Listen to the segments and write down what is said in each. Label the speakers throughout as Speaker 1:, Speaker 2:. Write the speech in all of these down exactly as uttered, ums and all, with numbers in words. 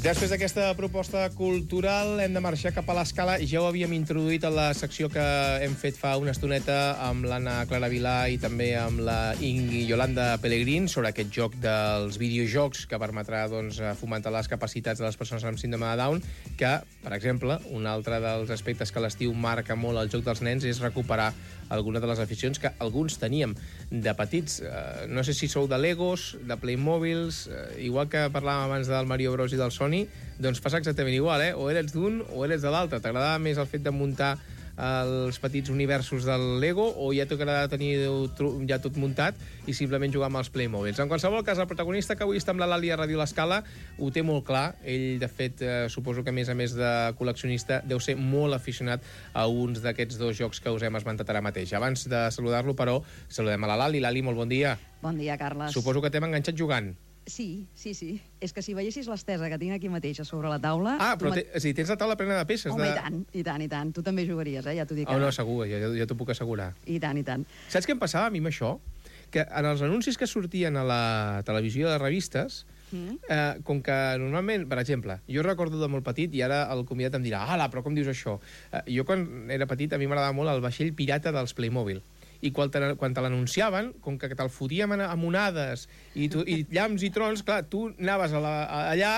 Speaker 1: Després d'aquesta proposta cultural hem de marxar cap a l'Escala. Ja ho havíem introduït a la secció que hem fet fa una estoneta amb l'Anna Clara Vilà i també amb la Ingui Yolanda Pellegrín sobre aquest joc dels videojocs que permetrà doncs, fomentar les capacitats de les persones amb síndrome de Down, que, per exemple, un altre dels aspectes que l'estiu marca molt el joc dels nens és recuperar alguna de les aficions que alguns teníem de petits. Eh, no sé si sou de Legos, de Playmobils, eh, igual que parlàvem abans del Mario Bros i del Sony, doncs passa exactament igual, eh? O eres d'un o eres de l'altre. T'agradava més el fet de muntar els petits universos del Lego o ja t'agrada tenir ja tot muntat i simplement jugar amb els Playmobils. En qualsevol cas, el protagonista que avui està amb la Lali a Ràdio L'Escala ho té molt clar. Ell, de fet, eh, suposo que a més a més de col·leccionista deu ser molt aficionat a uns d'aquests dos jocs que us hem esmentat ara mateix. Abans de saludar-lo, però, saludem a la Lali. Lali, molt bon dia.
Speaker 2: Bon dia, Carles.
Speaker 1: Suposo que t'hem enganxat jugant.
Speaker 2: Sí, sí, sí. És que si veiessis l'estesa que tinc aquí mateix a sobre la taula...
Speaker 1: Ah, però te, o sigui, tens la taula plena de peces.
Speaker 2: Home,
Speaker 1: de...
Speaker 2: i tant, i tant, i tant. Tu també jugaries, eh? Ja t'ho dic.
Speaker 1: Oh, no, segur, ja, ja t'ho puc assegurar.
Speaker 2: I tant, i tant.
Speaker 1: Saps què em passava a mi amb això? Que en els anuncis que sortien a la televisió de revistes, mm. eh, com que normalment, per exemple, jo recordo de molt petit, i ara el convidat em dirà, ala, però com dius això? Eh, jo quan era petit a mi m'agradava molt el vaixell pirata dels Playmobil. I quan te, quan te l'anunciaven, com que te'l fotíem amb onades i, tu, i llamps i trons, clar, tu anaves a la, a, allà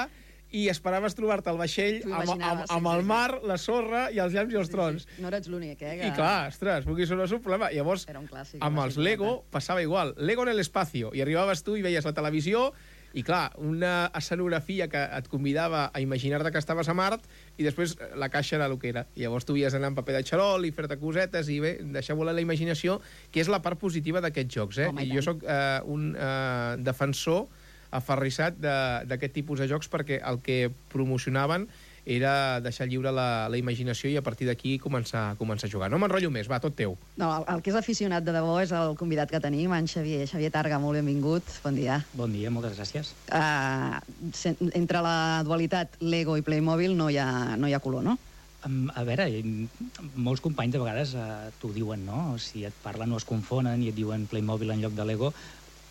Speaker 1: i esperaves trobar-te el vaixell amb, amb, amb el mar, la sorra i els llamps i els trons.
Speaker 2: Sí, sí. No eres l'únic, eh? Que...
Speaker 1: I clar, ostres, vulguis o no és un problema. Llavors,
Speaker 2: clàssic,
Speaker 1: amb els Lego passava igual. Lego en l'espacio. I arribaves tu i veies la televisió i, clar, una escenografia que et convidava a imaginar-te que estaves a Mart i després la caixa era el que era. I llavors tu havies d'anar amb paper de xarol i fer-te cosetes i bé, deixar volar la imaginació, que és la part positiva d'aquests jocs, eh?
Speaker 2: Home, i
Speaker 1: I jo sóc eh, un eh, defensor aferrissat d'aquest tipus de jocs perquè el que promocionaven era deixar lliure la, la imaginació i a partir d'aquí començar, començar a jugar. No m'enrotllo més, va, tot teu.
Speaker 2: No, el, el que és aficionat de debò és el convidat que tenim, en Xavier. Xavier Targa, molt benvingut, bon dia.
Speaker 3: Bon dia, moltes gràcies.
Speaker 2: Uh, entre la dualitat Lego i Playmobil no hi ha, no hi ha color, no?
Speaker 3: Um, a veure, molts companys de vegades uh, t'ho diuen, no? Si et parlen o es confonen i et diuen Playmobil en lloc de Lego,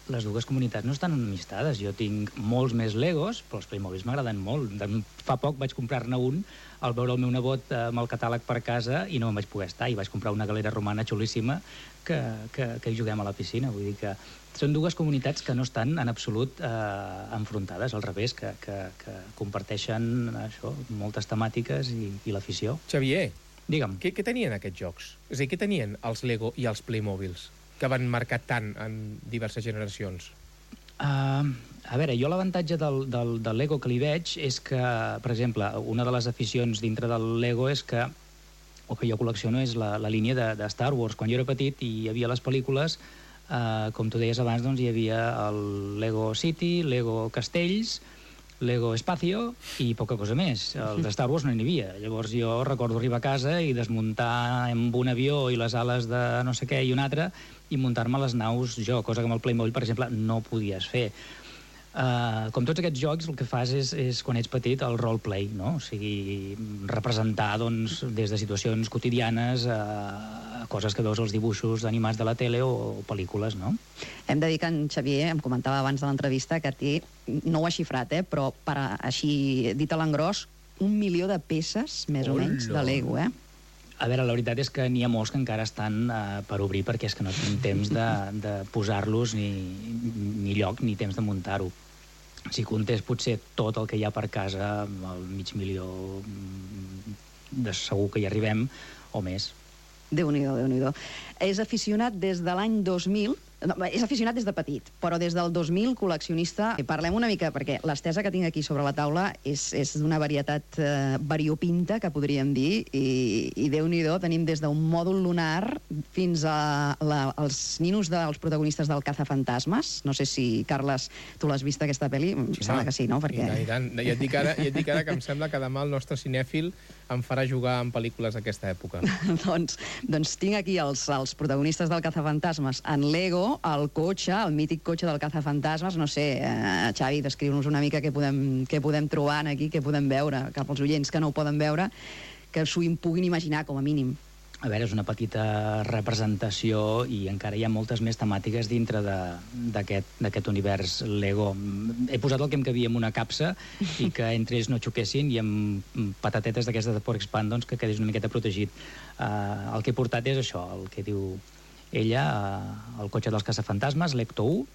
Speaker 3: les dues comunitats no estan enemistades. Jo tinc molts més Legos, però els Playmobils m'agraden molt. Fa poc vaig comprar-ne un al veure el meu nebot amb el catàleg per casa i no me'n vaig poder estar, i vaig comprar una galera romana xulíssima que, que, que hi juguem a la piscina. Vull dir que són dues comunitats que no estan en absolut eh, enfrontades, al revés, que, que, que comparteixen això, moltes temàtiques i, i l'afició.
Speaker 1: Xavier,
Speaker 3: digue'm.
Speaker 1: Què, què tenien aquests jocs? És a dir, què tenien els Lego i els Playmobils que van marcar tant en diverses generacions?
Speaker 3: Uh, a veure, jo l'avantatge del, del, del Lego que li veig és que, per exemple, una de les aficions dintre del Lego és que el que jo col·lecciono és la, la línia de, de Star Wars. Quan jo era petit i hi havia les pel·lícules, uh, com tu deies abans, doncs hi havia el Lego City, Lego Castells, Lego Espacio i poca cosa més. Els de Star Wars no n'hi havia. Llavors jo recordo arribar a casa i desmuntar amb un avió i les ales de no sé què i un altre i muntar-me les naus jo, cosa que amb el Playmobil, per exemple, no podies fer. Uh, com tots aquests jocs, el que fas és, és quan ets petit, el roleplay, no? O sigui, representar doncs, des de situacions quotidianes a coses que veus als dibuixos animats de la tele o, o pel·lícules, no?
Speaker 2: Hem de dir que en Xavier em comentava abans de l'entrevista que té, no ho ha xifrat, eh, però per a, així dit a l'engròs, un milió de peces, més o menys, de Lego, eh?
Speaker 3: A veure, la veritat és que n'hi ha molts que encara estan uh, per obrir perquè és que no tinc temps de, de posar-los ni, ni lloc ni temps de muntar-ho. Si comptés potser tot el que hi ha per casa, el mig milió de segur que hi arribem o més.
Speaker 2: Déu-n'hi-do, Déu-n'hi-do. És aficionat des de l'any dos mil, no, és aficionat des de petit, però des del dos mil col·leccionista. I parlem una mica, perquè l'estesa que tinc aquí sobre la taula és, és d'una varietat eh, variopinta, que podríem dir, i, i Déu-n'hi-do, tenim des d'un mòdul lunar fins a la, els ninos dels protagonistes del Cazafantasmes. No sé si, Carles, tu l'has vist aquesta pel·li? Em
Speaker 1: sí,
Speaker 2: sembla que sí, no? Perquè...
Speaker 1: I tant, i tant. I et dic ara, i et dic ara que em sembla que demà el nostre cinèfil em farà jugar en pel·lícules d'aquesta època.
Speaker 2: doncs, doncs tinc aquí els, els protagonistes del Cazafantasmes en Lego, el cotxe, el mític cotxe del Cazafantasmes. No sé, eh, Xavi, descriu-nos una mica què podem, què podem trobar aquí, què podem veure, cap als oients que no ho poden veure, que s'ho puguin imaginar, com a mínim.
Speaker 3: A veure, és una petita representació i encara hi ha moltes més temàtiques dintre d'aquest univers Lego. He posat el que em cabia en una capsa i que entre ells no xoquessin i amb patatetes d'aquestes de Pork Span, doncs, que quedés una miqueta protegit. Uh, el que he portat és això, el que diu ella, uh, el cotxe dels caçafantasmes, l'Ecto u,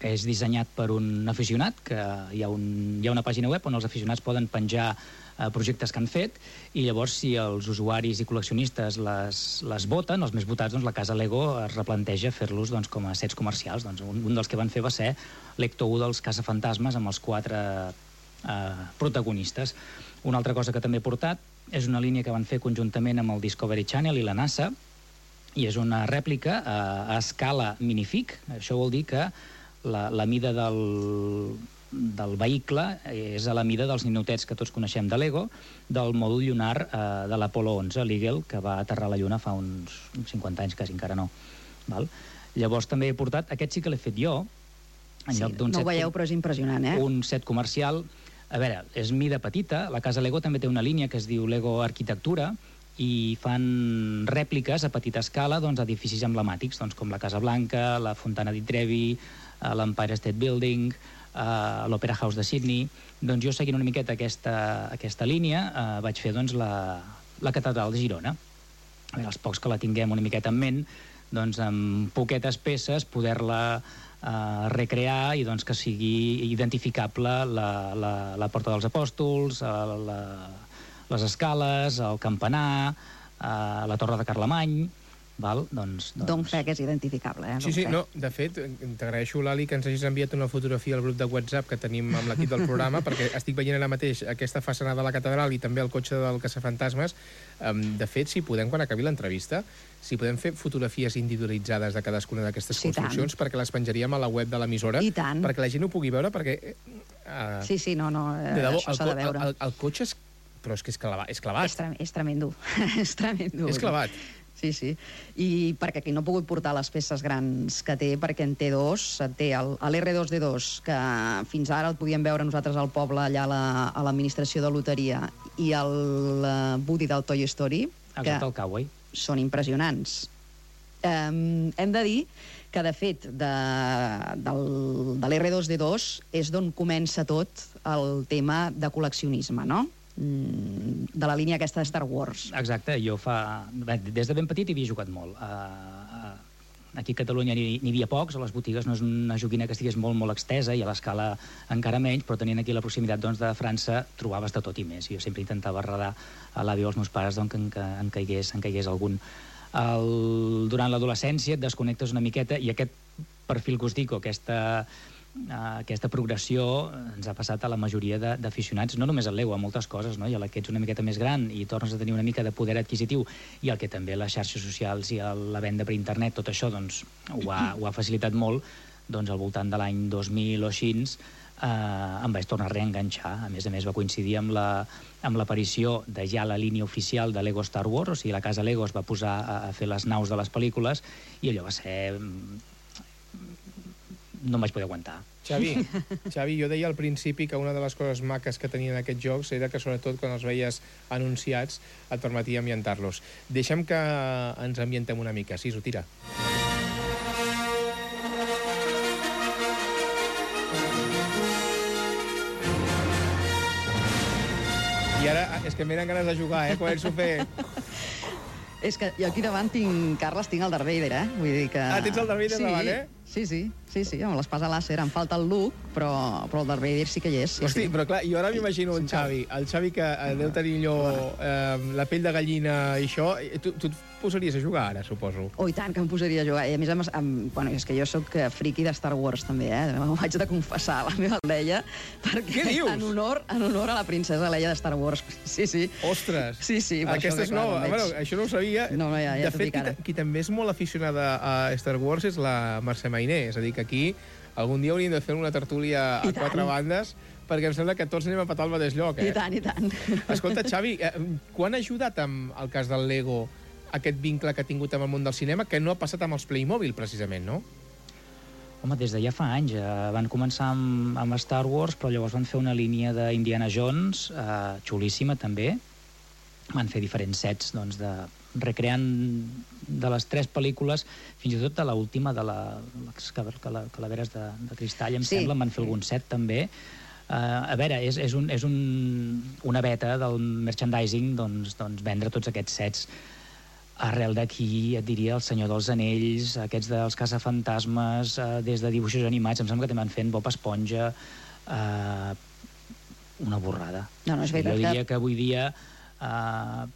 Speaker 3: que és dissenyat per un aficionat, que hi ha, un, hi ha una pàgina web on els aficionats poden penjar eh, projectes que han fet, i llavors si els usuaris i col·leccionistes les, les voten, els més votats, doncs la casa Lego es replanteja fer-los doncs, com a sets comercials. Doncs un, un dels que van fer va ser l'Ecto u dels caçafantasmes amb els quatre eh, protagonistes. Una altra cosa que també he portat és una línia que van fer conjuntament amb el Discovery Channel i la NASA, i és una rèplica eh, a escala minifig. Això vol dir que La, la mida del, del vehicle és a la mida dels ninotets que tots coneixem de Lego, del mòdul lunar eh, de l'Apollo onze, l'Eagle, que va aterrar a la Lluna fa uns cinquanta anys, quasi encara no. Val? Llavors també he portat, aquest sí que l'he fet jo, en
Speaker 2: sí,
Speaker 3: lloc d'un
Speaker 2: no
Speaker 3: set...
Speaker 2: ho veieu, però és impressionant, eh?
Speaker 3: Un set comercial. A veure, és mida petita, la casa Lego també té una línia que es diu Lego Arquitectura, i fan rèpliques a petita escala doncs, edificis emblemàtics, doncs, com la Casa Blanca, la Fontana di Trevi, l'Empire State Building, l'Opera House de Sydney. Doncs jo, seguint una miqueta aquesta, aquesta línia, eh, vaig fer doncs, la, la Catedral de Girona. A veure, els pocs que la tinguem una miqueta en ment, doncs, amb poquetes peces poder-la eh, recrear i doncs, que sigui identificable la, la, la Porta dels Apòstols, la, les escales, el campanar, eh, la Torre de Carlemany. Val? Doncs, doncs...
Speaker 2: Don fe que és identificable, eh?
Speaker 1: Sí, sí, no, de fet, t'agraeixo, Lali, que ens hagis enviat una fotografia al grup de WhatsApp que tenim amb l'equip del programa, perquè estic veient ara mateix aquesta façana de la catedral i també el cotxe del caçafantasmes. Um, de fet, si podem, quan acabi l'entrevista, si podem fer fotografies individualitzades de cadascuna d'aquestes
Speaker 2: sí,
Speaker 1: construccions, tant. Perquè les penjaríem a la web de l'emissora, perquè la gent ho pugui veure, perquè... Uh,
Speaker 2: sí, sí, no, no, eh,
Speaker 1: debò,
Speaker 2: això s'ha de veure.
Speaker 1: El, el, el cotxe és... Però és que és clavat. És, clavat.
Speaker 2: és, tre és tremendo. és tremendo.
Speaker 1: És clavat.
Speaker 2: Sí, sí. I perquè aquí no he pogut portar les peces grans que té, perquè en té dos. Té l'R dos D dos, que fins ara el podíem veure nosaltres al poble, allà a l'administració de loteria, i el Woody del Toy Story,
Speaker 3: que el Cowboy.
Speaker 2: Són impressionants. Um, hem de dir que, de fet, de, del, de l'R dos D dos és d'on comença tot el tema de col·leccionisme, no? De la línia aquesta de Star Wars.
Speaker 3: Exacte, jo fa... Des de ben petit hi havia jugat molt. Uh, aquí a Catalunya n'hi havia pocs, a les botigues no és una joguina que estigués molt, molt extesa i a l'escala encara menys, però tenint aquí la proximitat doncs, de França trobaves de tot i més. Jo sempre intentava arredar a l'avi o als meus pares doncs, que en, en, caigués, en caigués algun. El, durant l'adolescència et desconnectes una miqueta i aquest perfil que us dic, aquesta... Uh, aquesta progressió ens ha passat a la majoria d'aficionats, no només al Lego, a moltes coses, no? I a la que ets una miqueta més gran i tornes a tenir una mica de poder adquisitiu i el que també les xarxes socials i el, la venda per internet, tot això doncs, ho, ha, ho ha facilitat molt, doncs al voltant de l'any dos mil o així eh, em vaig tornar a reenganxar. A més a més va coincidir amb la, amb l'aparició de ja la línia oficial de Lego Star Wars, o sigui, la casa Lego es va posar a, a fer les naus de les pel·lícules i allò va ser... no em vaig poder aguantar.
Speaker 1: Xavi, Xavi, jo deia al principi que una de les coses maques que tenien aquests jocs era que, sobretot, quan els veies anunciats, et permetia ambientar-los. Deixa'm que ens ambientem una mica. Sisu, tira. I ara, és que em venen ganes de jugar, eh? Començo a fer...
Speaker 2: És que jo aquí davant tinc, Carles, tinc el Darth Vader, eh? Vull dir que...
Speaker 1: Ah, tens el Darth Vader
Speaker 2: sí,
Speaker 1: davant, eh?
Speaker 2: Sí, sí, sí, sí, amb l'espasa làser. Em falta el Luke, però, però el Darth Vader sí que hi és. Sí,
Speaker 1: Hosti,
Speaker 2: sí.
Speaker 1: Però clar, jo ara m'imagino un Xavi, el Xavi que eh, deu tenir allò, eh, la pell de gallina i això, tu, tu et posaries a jugar ara, suposo.
Speaker 2: Oh, i tant, que em posaria a jugar. I a més, amb, amb, bueno, és que jo sóc friki de Star Wars, també, eh? M'ho haig de confessar a la meva Leia, perquè
Speaker 1: Què dius?
Speaker 2: En honor, en honor a la princesa Leia de Star Wars. Sí, sí.
Speaker 1: Ostres!
Speaker 2: Sí, sí.
Speaker 1: Aquesta és nova. Bueno, això no ho sabia.
Speaker 2: No, no, ja, ja
Speaker 1: de fet, qui, qui també és molt aficionada a Star Wars és la Mercè Mainé. És a dir, que aquí algun dia hauríem de fer una tertúlia a quatre bandes, perquè em sembla que tots anem a petar al mateix lloc, eh?
Speaker 2: I tant, i tant.
Speaker 1: Escolta, Xavi, eh, quan ha ajudat amb el cas del Lego aquest vincle que ha tingut amb el món del cinema, que no ha passat amb els Playmobil, precisament, no?
Speaker 3: Home, des de ja fa anys. Eh, van començar amb, amb Star Wars, però llavors van fer una línia d'Indiana Jones, eh, xulíssima també. Van fer diferents sets doncs, de, recreant de les tres pel·lícules, fins i tot de l'última, de la, les Calaveres de, de Cristall, em
Speaker 2: sí.
Speaker 3: sembla, en van fer algun set també. Uh, a veure, és, és, un, és un, una beta del merchandising doncs, doncs vendre tots aquests sets. Arrel d'aquí, et diria, El Senyor dels Anells, aquests dels caçafantasmes, uh, des de dibuixos animats, em sembla que també van fent Bob Esponja, uh, una borrada.
Speaker 2: No, no, és veritat
Speaker 3: jo diria
Speaker 2: que...
Speaker 3: que avui dia uh,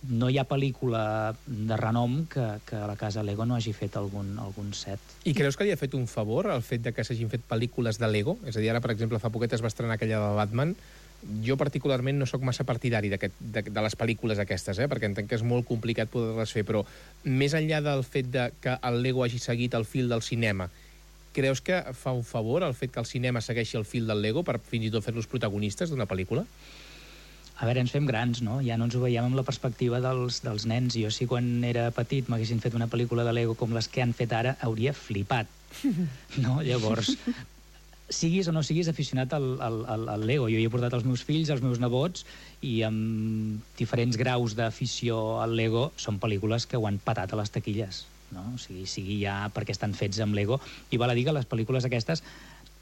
Speaker 3: no hi ha pel·lícula de renom que, que la casa Lego no hagi fet algun, algun set.
Speaker 1: I creus que li ha fet un favor el fet de que s'hagin fet pel·lícules de Lego? És a dir, ara, per exemple, fa poquet es va estrenar aquella de Batman. Jo particularment no sóc massa partidari de, de, de les pel·lícules aquestes, eh? perquè entenc que és molt complicat poder-les fer, però més enllà del fet de que el Lego hagi seguit el fil del cinema, creus que fa un favor el fet que el cinema segueixi el fil del Lego per fins i tot fer-los protagonistes d'una pel·lícula?
Speaker 3: A veure, ens fem grans, no? Ja no ens ho veiem amb la perspectiva dels, dels nens. Jo sí, quan era petit, m'haguessin fet una pel·lícula de Lego com les que han fet ara, hauria flipat. No? Llavors, siguis o no siguis aficionat al, al, al, al Lego. Jo hi he portat els meus fills, els meus nebots, i amb diferents graus d'afició al Lego són pel·lícules que ho han patat a les taquilles. No? O sigui, sigui ja perquè estan fets amb Lego. I val a dir que les pel·lícules aquestes,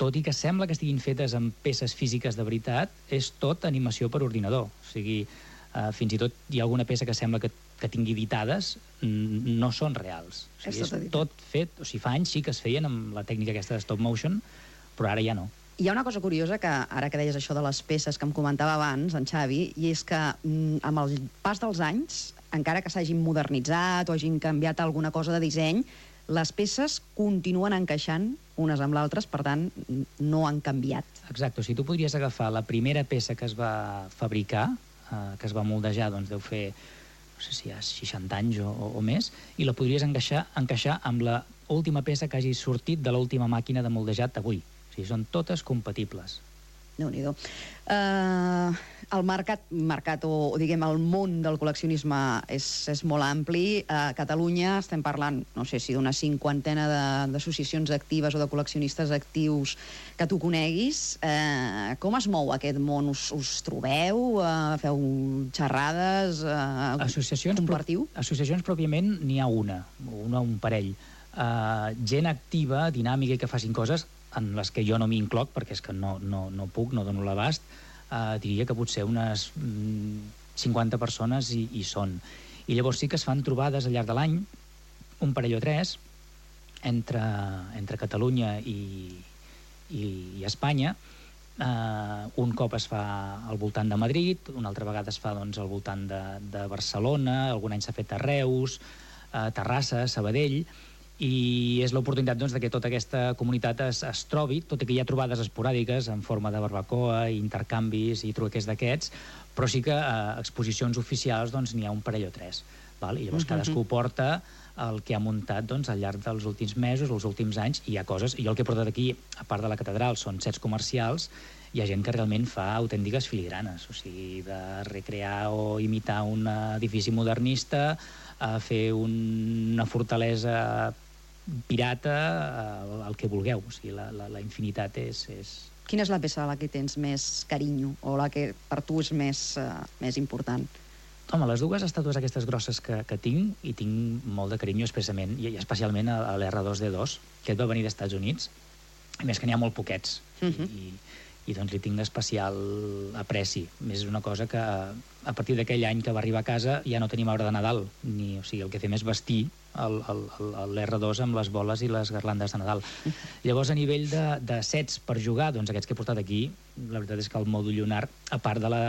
Speaker 3: tot i que sembla que estiguin fetes amb peces físiques de veritat, és tot animació per ordinador. O sigui, eh, fins i tot hi ha alguna peça que sembla que, que tingui editades, no són reals. O sigui, és, és tot fet... O sigui, fa anys sí que es feien amb la tècnica aquesta de stop motion, però ara ja no.
Speaker 2: Hi ha una cosa curiosa, que ara que deies això de les peces que em comentava abans, en Xavi, i és que mm, amb el pas dels anys, encara que s'hagin modernitzat o hagin canviat alguna cosa de disseny, les peces continuen encaixant unes amb l'altres, per tant, no han canviat.
Speaker 3: Exacte, o sigui, tu podries agafar la primera peça que es va fabricar, eh, que es va moldejar, doncs deu fer, no sé si hi ha seixanta anys o, o, o més, i la podries encaixar, encaixar amb la última peça que hagi sortit de l'última màquina de moldejat avui. O sigui, són totes compatibles.
Speaker 2: Déu-n'hi-do. Uh, el mercat, mercat o, o diguem el món del col·leccionisme és, és molt ampli. A Catalunya estem parlant, no sé si d'una cinquantena d'associacions actives o de col·leccionistes actius que tu coneguis. Uh, com es mou aquest món? Us, us trobeu? Uh, feu xerrades? Uh,
Speaker 3: associacions,
Speaker 2: compartiu?
Speaker 3: Pro, associacions pròpiament n'hi ha una, una un parell. Uh, gent activa, dinàmica i que facin coses en les que jo no m'hi incloc, perquè és que no, no, no puc, no dono l'abast, eh, diria que potser unes mm, cinquanta persones hi, hi són. I llavors sí que es fan trobades al llarg de l'any, un parell o tres, entre, entre Catalunya i, i, i Espanya. Eh, un cop es fa al voltant de Madrid, una altra vegada es fa doncs, al voltant de, de Barcelona, algun any s'ha fet a Reus, a Terrassa, Sabadell, i és l'oportunitat doncs, de que tota aquesta comunitat es, es trobi, tot i que hi ha trobades esporàdiques en forma de barbacoa, intercanvis i truquers d'aquests, però sí que eh, exposicions oficials doncs, n'hi ha un parell o tres. Val? I llavors uh-huh. cadascú porta el que ha muntat doncs, al llarg dels últims mesos, els últims anys, i hi ha coses... Jo el que he portat aquí, a part de la catedral, són sets comercials, hi ha gent que realment fa autèntiques filigranes, o sigui, de recrear o imitar un edifici modernista, a fer un, una fortalesa pirata, el, el que vulgueu. O sigui, la, la, la infinitat és, és...
Speaker 2: Quina és la peça a la que tens més carinyo o la que per tu és més, uh, més important?
Speaker 3: Home, les dues estàtues aquestes grosses que, que tinc, i tinc molt de carinyo expressament, i especialment a, a l'R dos D dos, que va venir dels Estats Units, a més que n'hi ha molt poquets, uh-huh. i, i doncs li tinc especial apreci. Més és una cosa que a partir d'aquell any que va arribar a casa ja no tenim arbre de Nadal, ni, o sigui, el que fem és vestir l'R dos amb les boles i les garlandes de Nadal. Llavors, a nivell de, de sets per jugar, doncs aquests que he portat aquí, la veritat és que el mòdul lunar, a part de la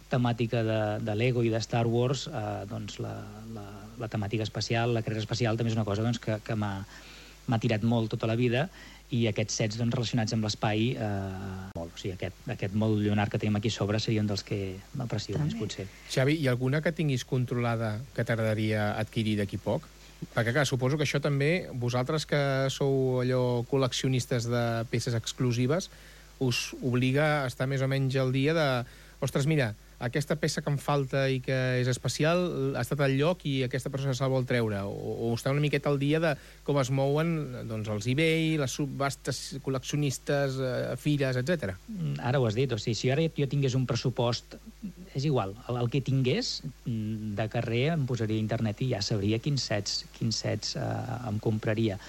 Speaker 3: temàtica de, de Lego i de Star Wars, eh, doncs la, la, la temàtica espacial, la carrera espacial, també és una cosa doncs, que, que m'ha tirat molt tota la vida, i aquests sets doncs, relacionats amb l'espai, eh, molt. O sigui, aquest, aquest mòdul lunar que tenim aquí a sobre seria un dels que m'aprecio més, potser.
Speaker 1: Xavi, hi ha alguna que tinguis controlada que t'agradaria adquirir d'aquí poc? Perquè, clar, suposo que això també, vosaltres que sou allò col·leccionistes de peces exclusives, us obliga a estar més o menys al dia de... Ostres, mira, aquesta peça que em falta i que és especial ha estat al lloc i aquesta persona se'l vol treure. O, o estar una miqueta al dia de com es mouen doncs, els eBay, les subhastes col·leccionistes, eh, fires, etcètera.
Speaker 3: Ara ho has dit, o sigui, si ara jo tingués un pressupost és igual. El, el que tingués de carrer em posaria a internet i ja sabria quins sets, quins sets eh, em compraria.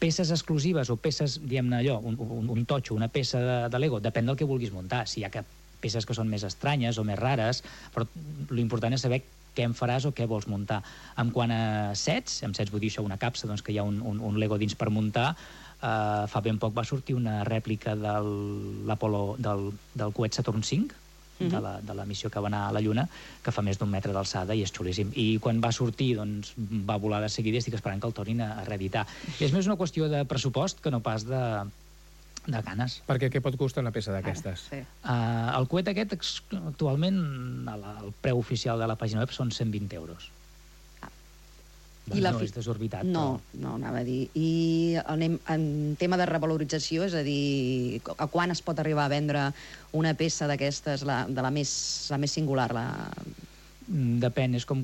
Speaker 3: Peces exclusives o peces, diguem-ne allò, un, un, un totxo, una peça de, de Lego, depèn del que vulguis muntar. Si hi ha peces que són més estranyes o més rares, però l'important és saber què en faràs o què vols muntar. En quant a sets, amb sets vull dir això, una capsa, doncs que hi ha un, un, un Lego dins per muntar, eh, fa ben poc va sortir una rèplica del, l'Apolo, del, del coet Saturn cinc, de la, de la missió que va anar a la Lluna, que fa més d'un metre d'alçada i és xulíssim. I quan va sortir, doncs, va volar de seguida i estic esperant que el tornin a, a reeditar. I és més una qüestió de pressupost que no pas de, de ganes.
Speaker 1: Perquè què pot costar una peça d'aquestes?
Speaker 2: Sí.
Speaker 3: Uh, el coet aquest, actualment, el preu oficial de la pàgina web són cent vint euros.
Speaker 2: I la
Speaker 3: no
Speaker 2: fi...
Speaker 3: és desorbitat.
Speaker 2: No,
Speaker 3: però...
Speaker 2: no, anava a dir. I anem en tema de revalorització, és a dir, a quan es pot arribar a vendre una peça d'aquestes, la, de la més, la més singular? La...
Speaker 3: Depèn, és com,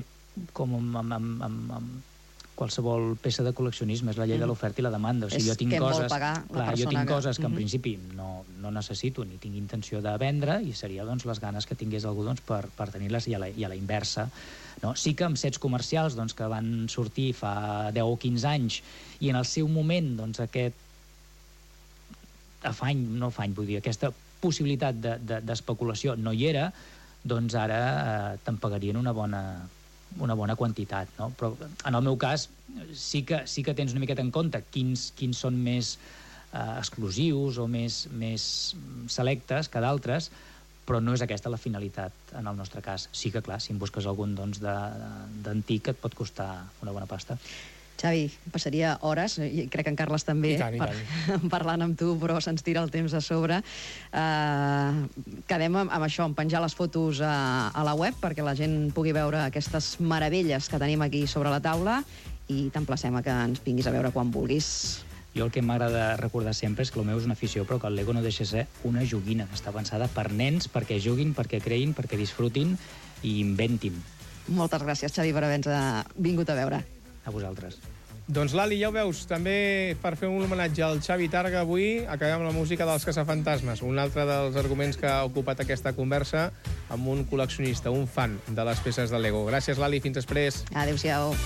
Speaker 3: com amb, amb, amb, amb, amb qualsevol peça de col·leccionisme, és la llei mm. de l'oferta i la demanda. O sigui,
Speaker 2: és
Speaker 3: jo tinc
Speaker 2: què
Speaker 3: coses,
Speaker 2: vol pagar la
Speaker 3: clar,
Speaker 2: persona
Speaker 3: jo tinc
Speaker 2: que...
Speaker 3: coses que en
Speaker 2: mm-hmm.
Speaker 3: principi no, no necessito ni tinc intenció de vendre i seria doncs, les ganes que tingués algú doncs, per, per tenir-les i, a la, i a la inversa. No? Sí que amb sets comercials doncs, que van sortir fa deu o quinze anys i en el seu moment doncs, aquest afany, no afany, vull dir, aquesta possibilitat de, de, d'especulació no hi era, doncs ara eh, te'n pagarien una bona, una bona quantitat, no? Però en el meu cas sí que, sí que tens una miqueta en compte quins, quins són més eh, exclusius o més, més selectes que d'altres, però no és aquesta la finalitat en el nostre cas. Sí que, clar, si en busques algun doncs, d'antic et pot costar una bona pasta.
Speaker 2: Xavi, passaria hores, i crec que en Carles també,
Speaker 1: I tant, i
Speaker 2: per,
Speaker 1: tant.
Speaker 2: parlant amb tu, però se'ns tira el temps a sobre. Uh, quedem amb, amb això, amb penjar les fotos a, a la web perquè la gent pugui veure aquestes meravelles que tenim aquí sobre la taula i t'emplacem a que ens vinguis a veure quan vulguis.
Speaker 3: Jo el que m'agrada recordar sempre és que el meu és una afició, però que el Lego no deixa de ser una joguina que està pensada per nens, perquè juguin, perquè creïn, perquè disfrutin i inventin.
Speaker 2: Moltes gràcies, Xavi, per haver-nos vingut a veure.
Speaker 3: A vosaltres.
Speaker 1: Doncs l'Ali, ja ho veus, també per fer un homenatge al Xavi Targa avui acabem amb la música dels Caçafantasmes, un altre dels arguments que ha ocupat aquesta conversa amb un col·leccionista, un fan de les peces de Lego. Gràcies, Lali, fins després.
Speaker 2: Adéu-siau.